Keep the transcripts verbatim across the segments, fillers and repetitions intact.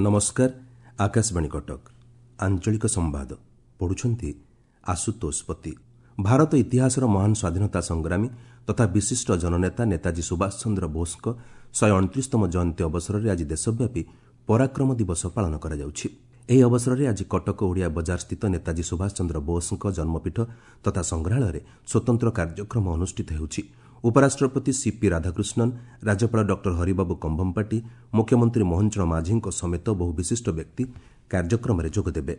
ନମସ୍କାର, ଆକାଶବାଣୀ କଟକ। ଆଞ୍ଚଳିକ ସମ୍ବାଦ ପଢୁଛନ୍ତି ଆଶୁତୋଷ ପତି। ଭାରତ ଇତିହାସର ମହାନ ସ୍ୱାଧୀନତା ସଂଗ୍ରାମୀ ତଥା ବିଶିଷ୍ଟ ଜନନେତା ନେତାଜୀ ସୁଭାଷ ଚନ୍ଦ୍ର ବୋଷଙ୍କ ଶହେ ଅଣତିରିଶତମ ଜୟନ୍ତୀ ଅବସରରେ ଆଜି ଦେଶବ୍ୟାପୀ ପରାକ୍ରମ ଦିବସ ପାଳନ କରାଯାଉଛି। ଏହି ଅବସରରେ ଆଜି କଟକ ଓଡ଼ିଆ ବଜାର ସ୍ଥିତ ନେତାଜୀ ସୁଭାଷ ଚନ୍ଦ୍ର ବୋଷଙ୍କ ଜନ୍ମପୀଠ ତଥା ସଂଗ୍ରହାଳୟରେ ସ୍ୱତନ୍ତ୍ର କାର୍ଯ୍ୟକ୍ରମ ଅନୁଷ୍ଠିତ ହେଉଛି। ଉପରାଷ୍ଟ୍ରପତି ସିପି ରାଧାକୃଷ୍ଣନ, ରାଜ୍ୟପାଳ ଡକ୍ଟର ହରିବାବୁ କମ୍ଭମପାଟି, ମୁଖ୍ୟମନ୍ତ୍ରୀ ମୋହନ ଚରଣ ମାଝୀଙ୍କ ସମେତ ବହୁ ବିଶିଷ୍ଟ ବ୍ୟକ୍ତି କାର୍ଯ୍ୟକ୍ରମରେ ଯୋଗଦେବେ।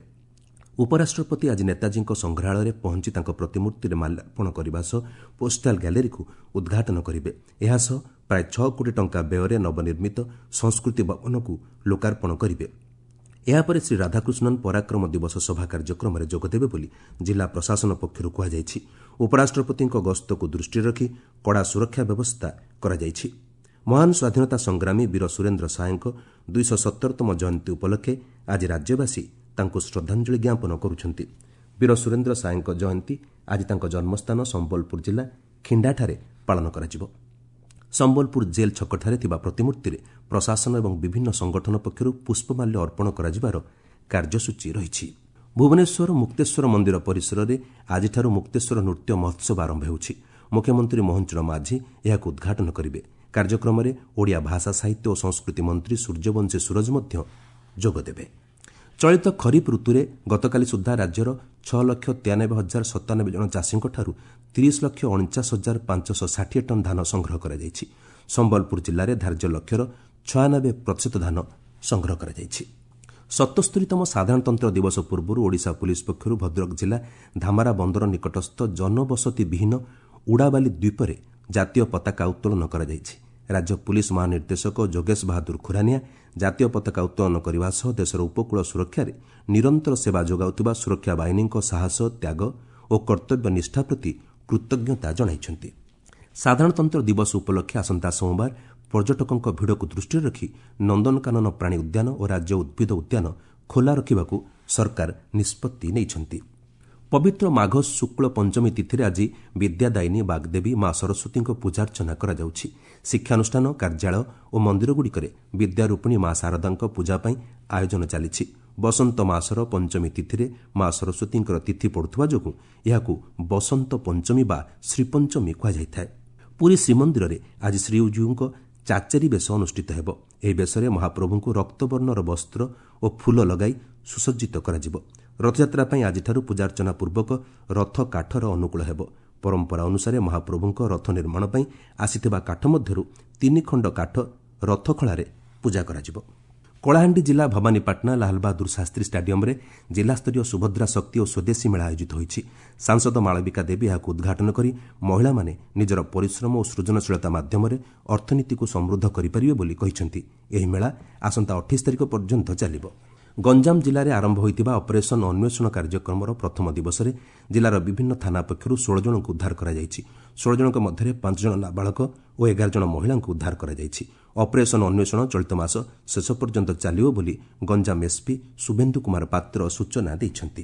ଉପରାଷ୍ଟ୍ରପତି ଆଜି ନେତାଜୀଙ୍କ ସଂଗ୍ରହାଳୟରେ ପହଞ୍ଚି ତାଙ୍କ ପ୍ରତିମୂର୍ତ୍ତିରେ ମାଲ୍ୟାର୍ପଣ କରିବା ସହ ପୋଷ୍ଟାଲ ଗ୍ୟାଲେରୀକୁ ଉଦ୍ଘାଟନ କରିବେ। ଏହାସହ ପ୍ରାୟ ଛଅ କୋଟି ଟଙ୍କା ବ୍ୟୟରେ ନବନିର୍ମିତ ସଂସ୍କୃତି ଭବନକୁ ଲୋକାର୍ପଣ କରିବେ। ଏହାପରେ ଶ୍ରୀ ରାଧାକୃଷ୍ଣନ ପରାକ୍ରମ ଦିବସ ସଭା କାର୍ଯ୍ୟକ୍ରମରେ ଯୋଗଦେବେ ବୋଲି ଜିଲ୍ଲା ପ୍ରଶାସନ ପକ୍ଷରୁ କୁହାଯାଇଛି। ଉପରାଷ୍ଟ୍ରପତିଙ୍କ ଗସ୍ତକୁ ଦୃଷ୍ଟିରେ ରଖି କଡ଼ା ସୁରକ୍ଷା ବ୍ୟବସ୍ଥା କରାଯାଇଛି। ମହାନ ସ୍ୱାଧୀନତା ସଂଗ୍ରାମୀ ବୀର ସୁରେନ୍ଦ୍ର ସାଏଙ୍କ ଦୁଇଶହ ସତରତମ ଜୟନ୍ତୀ ଉପଲକ୍ଷେ ଆଜି ରାଜ୍ୟବାସୀ ତାଙ୍କୁ ଶ୍ରଦ୍ଧାଞ୍ଜଳି ଜ୍ଞାପନ କରୁଛନ୍ତି। ବୀର ସୁରେନ୍ଦ୍ର ସାଏଙ୍କ ଜୟନ୍ତୀ ଆଜି ତାଙ୍କ ଜନ୍ମସ୍ଥାନ ସମ୍ବଲପୁର ଜିଲ୍ଲା ଖିଣ୍ଡାଠାରେ ପାଳନ କରାଯିବ। ସମ୍ବଲପୁର ଜେଲ୍ ଛକଠାରେ ଥିବା ପ୍ରତିମୂର୍ତ୍ତିରେ ପ୍ରଶାସନ ଏବଂ ବିଭିନ୍ନ ସଂଗଠନ ପକ୍ଷରୁ ପୁଷ୍ପମାଲ୍ୟ ଅର୍ପଣ କରାଯିବାର କାର୍ଯ୍ୟସୂଚୀ ରହିଛି। ଭୁବନେଶ୍ୱର ମୁକ୍ତେଶ୍ୱର ମନ୍ଦିର ପରିସରରେ ଆଜିଠାରୁ ମୁକ୍ତେଶ୍ୱର ନୃତ୍ୟ ମହୋତ୍ସବ ଆରମ୍ଭ ହେଉଛି। ମୁଖ୍ୟମନ୍ତ୍ରୀ ମୋହନ ଚରଣ ମାଝୀ ଏହାକୁ ଉଦ୍ଘାଟନ କରିବେ। କାର୍ଯ୍ୟକ୍ରମରେ ଓଡ଼ିଆ ଭାଷା, ସାହିତ୍ୟ ଓ ସଂସ୍କୃତି ମନ୍ତ୍ରୀ ସୂର୍ଯ୍ୟବଂଶୀ ସୂରଜ ମଧ୍ୟ ଯୋଗଦେବେ। ଚଳିତ ଖରିଫ ଋତୁରେ ଗତକାଲି ସୁଦ୍ଧା ରାଜ୍ୟର ଛଅ ଲକ୍ଷ ତେୟାନବେ ହଜାର ସତାନବେ ଜଣ ଚାଷୀଙ୍କଠାରୁ ତିରିଶ ଲକ୍ଷ ଅଣଚାଶ ହଜାର ପାଞ୍ଚଶହ ଷାଠିଏ ଟନ୍ ଧାନ ସଂଗ୍ରହ କରାଯାଇଛି। ସମ୍ବଲପୁର ଜିଲ୍ଲାରେ ଧାର୍ଯ୍ୟ ଲକ୍ଷ୍ୟର ଛୟାନବେ ପ୍ରତିଶତ ଧାନ ସଂଗ୍ରହ କରାଯାଇଛି। ସତସ୍ତରୀତମ ସାଧାରଣତନ୍ତ୍ର ଦିବସ ପୂର୍ବରୁ ଓଡ଼ିଶା ପୁଲିସ୍ ପକ୍ଷରୁ ଭଦ୍ରକ ଜିଲ୍ଲା ଧାମରା ବନ୍ଦର ନିକଟସ୍ଥ ଜନବସତି ବିହୀନ ଉଡ଼ାବାଲି ଦ୍ୱୀପରେ ଜାତୀୟ ପତାକା ଉତ୍ତୋଳନ କରାଯାଇଛି। ରାଜ୍ୟ ପୁଲିସ୍ ମହାନିର୍ଦ୍ଦେଶକ ଯୋଗେଶ ବାହାଦୁର ଖୁରାନିଆ ଜାତୀୟ ପତାକା ଉତ୍ତୋଳନ କରିବା ସହ ଦେଶର ଉପକୂଳ ସୁରକ୍ଷାରେ ନିରନ୍ତର ସେବା ଯୋଗାଉଥିବା ସୁରକ୍ଷା ବାହିନୀଙ୍କ ସାହସ, ତ୍ୟାଗ ଓ କର୍ତ୍ତବ୍ୟ ନିଷ୍ଠା ପ୍ରତି କୃତଜ୍ଞତା ଜଣାଇଛନ୍ତି। ସାଧାରଣତନ୍ତ୍ର ଦିବସ ଉପଲକ୍ଷେ ଆସନ୍ତା ସୋମବାର ପର୍ଯ୍ୟଟକଙ୍କ ଭିଡ଼କୁ ଦୃଷ୍ଟିରେ ରଖି ନନ୍ଦନକାନନ ପ୍ରାଣୀ ଉଦ୍ୟାନ ଓ ରାଜ୍ୟ ଉଦ୍ଭିଦ ଉଦ୍ୟାନ ଖୋଲା ରଖିବାକୁ ସରକାର ନିଷ୍ପତ୍ତି ନେଇଛନ୍ତି। ପବିତ୍ର ମାଘ ଶୁକ୍ଳ ପଞ୍ଚମୀ ତିଥିରେ ଆଜି ବିଦ୍ୟାଦାୟିନୀ ବାଗ୍ଦେବୀ ମା ସରସ୍ୱତୀଙ୍କ ପୂଜାର୍ଚ୍ଚନା କରାଯାଉଛି। ଶିକ୍ଷାନୁଷ୍ଠାନ, କାର୍ଯ୍ୟାଳୟ ଓ ମନ୍ଦିରଗୁଡ଼ିକରେ ବିଦ୍ୟାରୂପିଣୀ ମା ଶାରଦାଙ୍କ ପୂଜା ପାଇଁ ଆୟୋଜନ ଚାଲିଛି। ବସନ୍ତ ମାସର ପଞ୍ଚମୀ ତିଥିରେ ମା ସରସ୍ୱତୀଙ୍କର ତିଥି ପଡ଼ୁଥିବା ଯୋଗୁଁ ଏହାକୁ ବସନ୍ତ ପଞ୍ଚମୀ ବା ଶ୍ରୀପଞ୍ଚମୀ କୁହାଯାଇଥାଏ। ପୁରୀ ଶ୍ରୀମନ୍ଦିରରେ ଆଜି ଶ୍ରୀଜୀଉଙ୍କ ଚାଚେରୀ ବେଶ ଅନୁଷ୍ଠିତ ହେବ। ଏହି ବେଶରେ ମହାପ୍ରଭୁଙ୍କୁ ରକ୍ତବର୍ଣ୍ଣର ବସ୍ତ୍ର ଓ ଫୁଲ ଲଗାଇ ସୁସଜ୍ଜିତ କରାଯିବ। ରଥଯାତ୍ରା ପାଇଁ ଆଜିଠାରୁ ପୂଜାର୍ଚ୍ଚନା ପୂର୍ବକ ରଥ କାଠର ଅନୁକୂଳ ହେବ। ପରମ୍ପରା ଅନୁସାରେ ମହାପ୍ରଭୁଙ୍କ ରଥ ନିର୍ମାଣ ପାଇଁ ଆସିଥିବା କାଠ ମଧ୍ୟରୁ ତିନି ଖଣ୍ଡ କାଠ ରଥଖଳାରେ ପୂଜା କରାଯିବ। କଳାହାଣ୍ଡି ଜିଲ୍ଲା ଭବାନୀପାଟଣା ଲାଲବାହାଦୁର ଶାସ୍ତ୍ରୀ ଷ୍ଟାଡିୟମରେ ଜିଲ୍ଲାସ୍ତରୀୟ ସୁଭଦ୍ରା ଶକ୍ତି ଓ ସ୍ୱଦେଶୀ ମେଳା ଆୟୋଜିତ ହୋଇଛି। ସାଂସଦ ମାଳବିକା ଦେବୀ ଏହାକୁ ଉଦ୍ଘାଟନ କରି ମହିଳାମାନେ ନିଜର ପରିଶ୍ରମ ଓ ସୃଜନଶୀଳତା ମାଧ୍ୟମରେ ଅର୍ଥନୀତିକୁ ସମୃଦ୍ଧ କରିପାରିବେ ବୋଲି କହିଛନ୍ତି। ଏହି ମେଳା ଆସନ୍ତା ଅଠେଇଶ ତାରିଖ ପର୍ଯ୍ୟନ୍ତ ଚାଲିବ। ଗଞ୍ଜାମ ଜିଲ୍ଲାରେ ଆରମ୍ଭ ହୋଇଥିବା ଅପରେସନ୍ ଅନ୍ୱେଷଣ କାର୍ଯ୍ୟକ୍ରମର ପ୍ରଥମ ଦିବସରେ ଜିଲ୍ଲାର ବିଭିନ୍ନ ଥାନା ପକ୍ଷରୁ ଷୋହଳ ଜଣଙ୍କୁ ଉଦ୍ଧାର କରାଯାଇଛି। ଷୋହଳ ଜଣଙ୍କ ମଧ୍ୟରେ ପାଞ୍ଚ ଜଣ ନାବାଳକ ଓ ଏଗାର ଜଣ ମହିଳାଙ୍କୁ ଉଦ୍ଧାର କରାଯାଇଛି। ଅପରେସନ୍ ଅନ୍ୱେଷଣ ଚଳିତ ମାସ ଶେଷ ପର୍ଯ୍ୟନ୍ତ ଚାଲିବ ବୋଲି ଗଞ୍ଜାମ ଏସ୍ପି ଶୁଭେନ୍ଦୁ କୁମାର ପାତ୍ର ସୂଚନା ଦେଇଛନ୍ତି।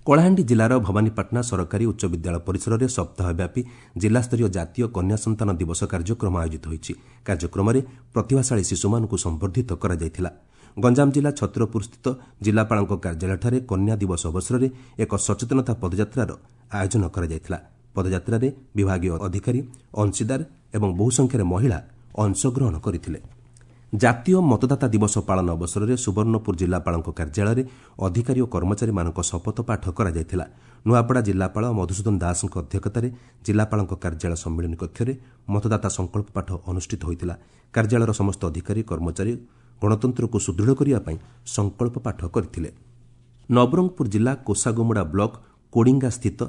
କଳାହାଣ୍ଡି ଜିଲ୍ଲାର ଭବାନୀପାଟଣା ସରକାରୀ ଉଚ୍ଚ ବିଦ୍ୟାଳୟ ପରିସରରେ ସପ୍ତାହବ୍ୟାପୀ ଜିଲ୍ଲାସ୍ତରୀୟ ଜାତୀୟ କନ୍ୟା ସନ୍ତାନ ଦିବସ କାର୍ଯ୍ୟକ୍ରମ ଆୟୋଜିତ ହୋଇଛି। କାର୍ଯ୍ୟକ୍ରମରେ ପ୍ରତିଭାଶାଳୀ ଶିଶୁମାନଙ୍କୁ ସମ୍ବର୍ଦ୍ଧିତ କରାଯାଇଥିଲା। ଗଞ୍ଜାମ ଜିଲ୍ଲା ଛତ୍ରପୁରସ୍ଥିତ ଜିଲ୍ଲାପାଳଙ୍କ କାର୍ଯ୍ୟାଳୟଠାରେ କନ୍ୟା ଦିବସ ଅବସରରେ ଏକ ସଚେତନତା ପଦଯାତ୍ରାର ଆୟୋଜନ କରାଯାଇଥିଲା। ପଦଯାତ୍ରାରେ ବିଭାଗୀୟ ଅଧିକାରୀ, ଅଂଶୀଦାର ଏବଂ ବହୁ ସଂଖ୍ୟାରେ ମହିଳା ଅଂଶଗ୍ରହଣ କରିଥିଲେ। ଜାତୀୟ ମତଦାତା ଦିବସ ପାଳନ ଅବସରରେ ସୁବର୍ଣ୍ଣପୁର ଜିଲ୍ଲାପାଳଙ୍କ କାର୍ଯ୍ୟାଳୟରେ ଅଧିକାରୀ ଓ କର୍ମଚାରୀମାନଙ୍କ ଶପଥ ପାଠ କରାଯାଇଥିଲା। ନୂଆପଡ଼ା ଜିଲ୍ଲାପାଳ ମଧୁସୂଦନ ଦାସଙ୍କ ଅଧ୍ୟକ୍ଷତାରେ ଜିଲ୍ଲାପାଳଙ୍କ କାର୍ଯ୍ୟାଳୟ ସମ୍ମିଳନୀ କକ୍ଷରେ ମତଦାତା ସଂକଳ୍ପ ପାଠ ଅନୁଷ୍ଠିତ ହୋଇଥିଲା। କାର୍ଯ୍ୟାଳୟର ସମସ୍ତ ଅଧିକାରୀ, କର୍ମଚାରୀ ଗଣତନ୍ତ୍ରକୁ ସୁଦୃଢ଼ କରିବା ପାଇଁ ସଂକଳ୍ପ ପାଠ କରିଥିଲେ। ନବରଙ୍ଗପୁର ଜିଲ୍ଲା କୋଷାଗୁମୁଡ଼ା ବ୍ଲକ କୋଡ଼ିଙ୍ଗା ସ୍ଥିତ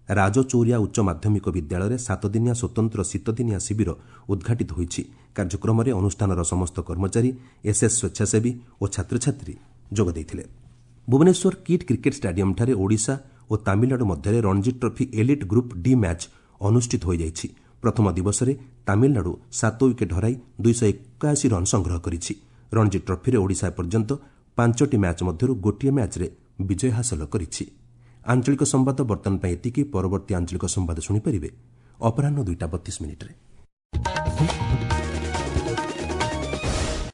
ରାଜଚୌରିଆ ଉଚ୍ଚ ମାଧ୍ୟମିକ ବିଦ୍ୟାଳୟରେ ସାତଦିନିଆ ସ୍ୱତନ୍ତ୍ର ଶୀତଦିନିଆ ଶିବିର ଉଦ୍ଘାଟିତ ହୋଇଛି। କାର୍ଯ୍ୟକ୍ରମରେ ଅନୁଷ୍ଠାନର ସମସ୍ତ କର୍ମଚାରୀ, ଏସ୍ଏସ୍ ସ୍ୱେଚ୍ଛାସେବୀ ଓ ଛାତ୍ରଛାତ୍ରୀ ଯୋଗ ଦେଇଥିଲେ। ଭୁବନେଶ୍ୱର କିଟ୍ କ୍ରିକେଟ୍ ଷ୍ଟାଡିୟମଠାରେ ଓଡ଼ିଶା ଓ ତାମିଲନାଡୁ ମଧ୍ୟରେ Ranji trophy elite group D match ଅନୁଷ୍ଠିତ ହୋଇଯାଇଛି। ପ୍ରଥମ ଦିବସରେ ତାମିଲନାଡୁ ସାତ ୱିକେଟ୍ ହରାଇ ଦୁଇଶହ ଏକାଅଶୀ ରନ୍ ସଂଗ୍ରହ କରିଛି। ରଣଜୀ ଟ୍ରଫିରେ ଓଡ଼ିଶା ଏପର୍ଯ୍ୟନ୍ତ ପାଞ୍ଚଟି ମ୍ୟାଚ୍ ମଧ୍ୟରୁ ଗୋଟିଏ ମ୍ୟାଚ୍ରେ ବିଜୟ ହାସଲ କରିଛି। ଆଞ୍ଚଳିକ ସମ୍ବାଦ ବର୍ତ୍ତମାନ ପାଇଁ ଏତିକି। ପରବର୍ତ୍ତୀ ଆଞ୍ଚଳିକ ସମ୍ବାଦ ଶୁଣିପାରିବେ ଅପରାହ୍ନ ଦୁଇଟା ବତିଶ ମିନିଟ୍ରେ।